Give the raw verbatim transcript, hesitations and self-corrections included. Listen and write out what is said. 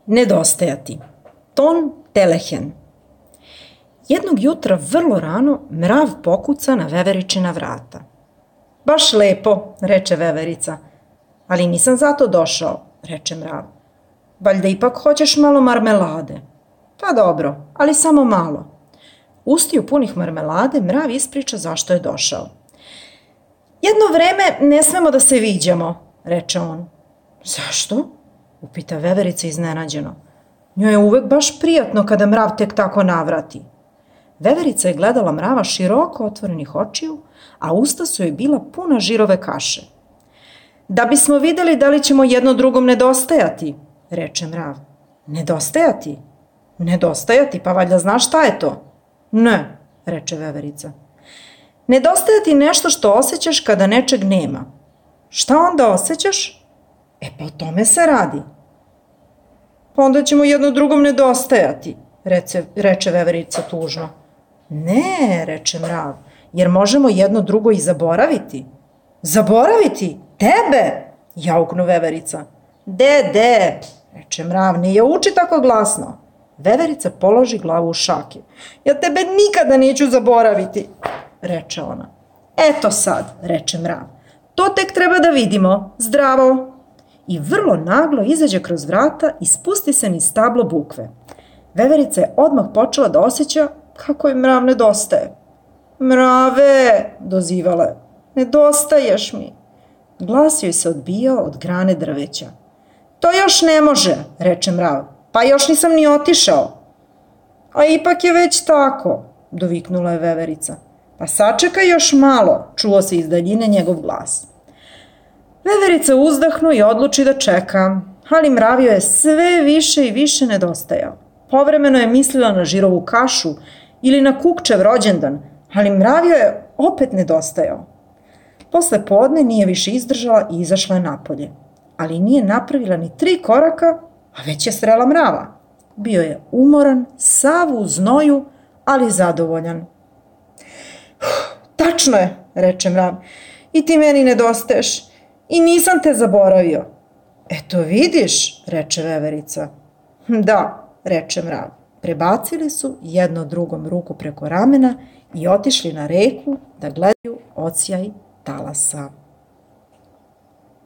Nedostajati. Ton telehen. Jednog jutra vrlo rano mrav pokuca na veveričina vrata. Baš lepo, reče veverica. Ali nisam zato došao, reče mrav. Valjda ipak hoćeš malo marmelade. Pa dobro, ali samo malo. Ustiju punih marmelade mrav ispriča zašto je došao. Jedno vreme ne smemo da se viđamo, reče on. Zašto? Upita veverica iznenađeno. Njoj je uvek baš prijatno kada mrav tek tako navrati. Veverica je gledala mrava široko otvorenih očiju, a usta su joj bila puna žirove kaše. Da bismo videli da li ćemo jedno drugom nedostajati, reče mrav. Nedostajati? Nedostajati, pa valjda znaš šta je to? Ne, reče veverica. Nedostajati nešto što osjećaš kada nečeg nema. Šta onda osjećaš? E pa o tome se radi. Pa onda ćemo jedno drugom nedostajati, reče, reče veverica tužno. Ne, reče mrav, jer možemo jedno drugo i zaboraviti. Zaboraviti? Tebe? Jauknu veverica. De, de, reče mrav, ne je uči tako glasno. Veverica položi glavu u šake. Ja tebe nikada neću zaboraviti, reče ona. Eto sad, reče mrav, to tek treba da vidimo. Zdravo. I vrlo naglo izađe kroz vrata i spusti se niz stablo bukve. Veverica je odmah počela da osjeća kako je mrav nedostaje. Mrave, dozivala je, nedostaješ mi. Glas joj se odbijao od grane drveća. To još ne može, reče mrav, pa još nisam ni otišao. A ipak je već tako, doviknula je veverica. Pa sačekaj još malo, čuo se iz daljine njegov glas. Veverica uzdahnu i odluči da čeka, ali mrav joj je sve više i više nedostajao. Povremeno je mislila na žirovu kašu ili na kukčev rođendan, ali mrav joj je opet nedostajao. Posle podne nije više izdržala i izašla je napolje, ali nije napravila ni tri koraka, a već je srela mrava. Bio je umoran, sav u znoju, ali zadovoljan. Tačno je, reče mrav, i ti meni nedostaješ. I nisam te zaboravio. Eto vidiš, reče veverica. Da, reče mrav. Prebacili su jedno drugom ruku preko ramena i otišli na reku da gledaju odsjaj talasa.